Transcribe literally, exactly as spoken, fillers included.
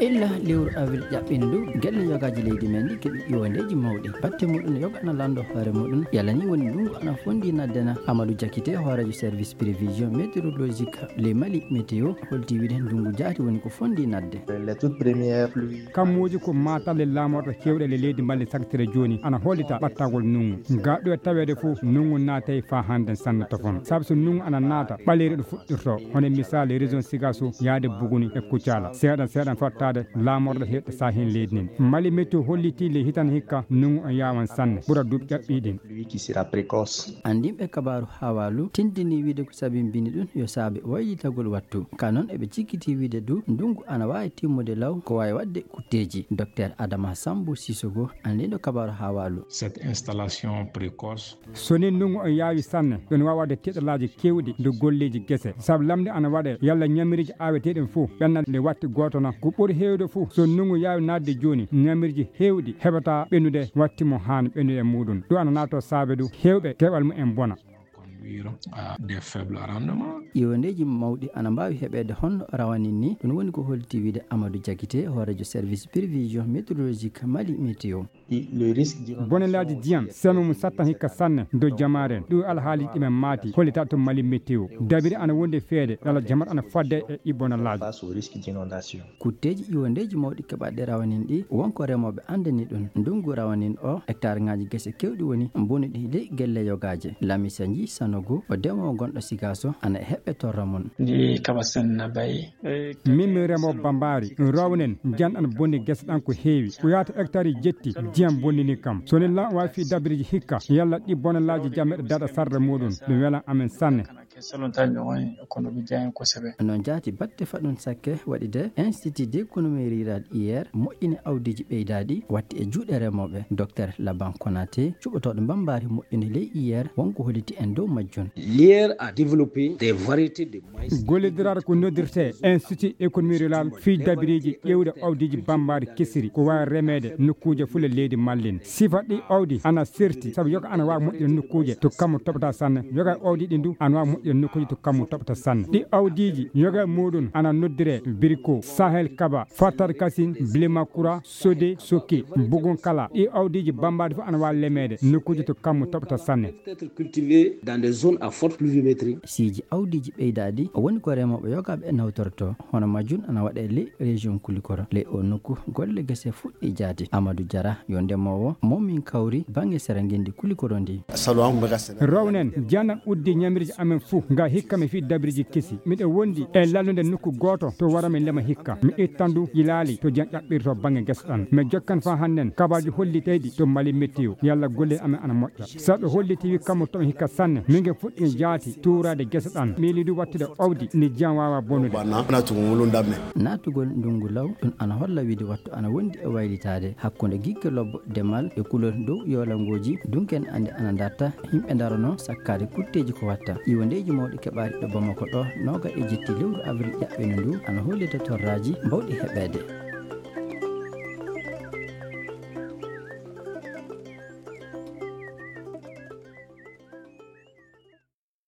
Illa lewru avril ƴaɓɓindu, gelle yogaaji leydi men ɗi keɓi iwandeeji mawɗi. Batte muɗum yoga ana lanndo hoore muɗum. Yalla ni woni ndungu ana fondi naddena? Amadou Diakité, hooreejo service prévision météorologique le Mali Météo, holti wiide ndungu jaati woni ko fondi nadde. Les toutes premières pluies. Kammuuji ko maatalle laamorɗe keewɗe le leydi Mali saktere jooni ana hollita ɓattagol nungu. Ga ɗo e taweede fof nungu naatay faa hannde sanne tofon. Sabu so nungu ana naata, ɓaleeri ɗo fuɗɗirto. Hono misaali région Sigaso yaade Buguni e Kucala. Seeɗan seeɗan fottaade laamorɗe heewɗe saahin leydi nin. Mali Météo hollitii le hitan hikka nungu on yaawan sanne. Ɓura duuɓi ƴaɓɓii ɗin. Lui qui sera précoce. Anndinɓe kabaaru hawaalu tindini wiide ko sabimbini ɗum yo saabe waylitagol wattu. Ka noon eɓe cikkiti wiide du ndungu ana waawi timmude law ko waawi waɗde kutteeji. Docteur Adama Sambu Sissogo, anndinɗo kabaaru hawaalu. Cette installation précoce. So ni ndungu on yaawi sanne, ɗum waawa waɗde tiɗalaaji keewɗi ndu golleeji gese. Sabu lamnde ana waɗe yalla ñamiriiji aaweteeɗi fof ɓenna nde watti gooto na. Ko ɓuri heewde fof so ndungu yaawi naatde jooni, ñamiriiji heewɗi heɓata ɓennude watti mo haan ɓennude e muɗum. Ɗum ana naato saabe du heewɓe keɓal mumen bona. Conduire à des faibles rendements. Iwandeeji mawɗi ana mbaawi heɓeede honno rawanin ni. Ɗum woni ko holti wiide Amadou Diakité, hooreejo service prévision météorologique Mali Météo. Le risque d'inondation. Bonelaaji ndiyam, seme mum sattan hikka sanne dow jamaare en. Ɗum alhaali ɗimen maati, hollita to Mali Météo. Dabiri ana wondi feede, yalla jamaat ana fadde e ibonalaaji. Face au risque d'inondation. Kutteeji iwandeeji mawɗi keɓaɗe rawanin ɗi, wonko remooɓe anndani ɗum. Ndungu rawanin o, hectare ŋaaji gese keewɗi woni bonuɗi ley gelle yogaaje. Lamisa Nji Sanogo, o demoowo gonɗo Sigaso, ana e heɓɓe torra mum. Ndi kaba sen na bay. Min mi remo bambari, rownen, janɗan bonni gese ɗan ko heewi. Ko yaata hectare jetti, ndiyam bonnini kam. So ni lan waawi fii dabiriji hikka, yalla ɗi bonalaaji jam meɗa daɗa sarde muɗum, ɗum welan amen sanne. Noon jaati batte faɗɗun sakke waɗi de Institut d'économie rurale hier moƴƴini awdiiji ɓeydaaɗi watti e juuɗe remooɓe. Docteur Laban Konaté, cuɓotooɗo mbambaari moƴƴini ley hier, wonko holliti en dow majjun. L'hier a développé des variétés de maïs. Gollidiraare ko noddirtee Institut économie rurale fii dabiriiji ƴeewde awdiiji bambaari kesiri ko waawi remeede nokkuuje fule leydi Mali. Sifa ɗi awdi ana serti, sabu yoga ana waawi moƴƴude nokkuuje to kammu toɓata sanne. Yoga awdi ɗi ndu ana waawi moƴƴude nokkuuje to kammu toɓata sanne. Ɗi awdiiji yoga muɗum ana noddiree biriko, Sahel Kaba, Fatar Kasin, Blimakura, Sode, Soke, Bugun Kala. Ɗi awdiiji bambaadi fof ana waawi lemeede nokkuuje to kammu toɓata sanne. Être cultivé dans des zones à forte pluviométrie. Siiji awdiiji ɓeydaaɗi woni ko remooɓe yogaaɓe nawtorto. Hono majjun ana waɗe ley région Kulikoro. Ley o nokku golle gese fuɗɗi jaati. Amadou Diarra yo ndemoowo mo min kawri baŋnge sera ngenndi Kulikoro ndi. Rownen, janan uddi ñamiriiji amen fuu, nga hikka mi fii dabiriji kesi. Miɗo wondi e lallude nokku gooto to wara mi lema hikka. Mi itta ndu jilaali to jam ƴaɓɓirto baŋnge gesa ɗan. Mi jokkan faa hannden kabaaji holliteyɗi to Mali Météo. Yalla golle amen ana moƴƴa. Sabu holliti wi kammu to hikka sanne. Min nge fuɗɗi jaati tuuraade gesa ɗan. Miili du wattude awdi ni jam waawa bonude. Naatugol ndungu law, ɗum ana holla wiide wattu ana wondi e waylitaade hakkunde gigge lobbo demal e kulol dow yoolangooji, dunken ande ana darta, yimɓe ndarono sakkaade kutteeji ko watta. Iwandeeji mawɗi keɓaari ɗo Bamako ɗo, nooga e jetti lewru avril ƴaɓɓino ndu, ana hollita torraaji mbawɗi heɓeede.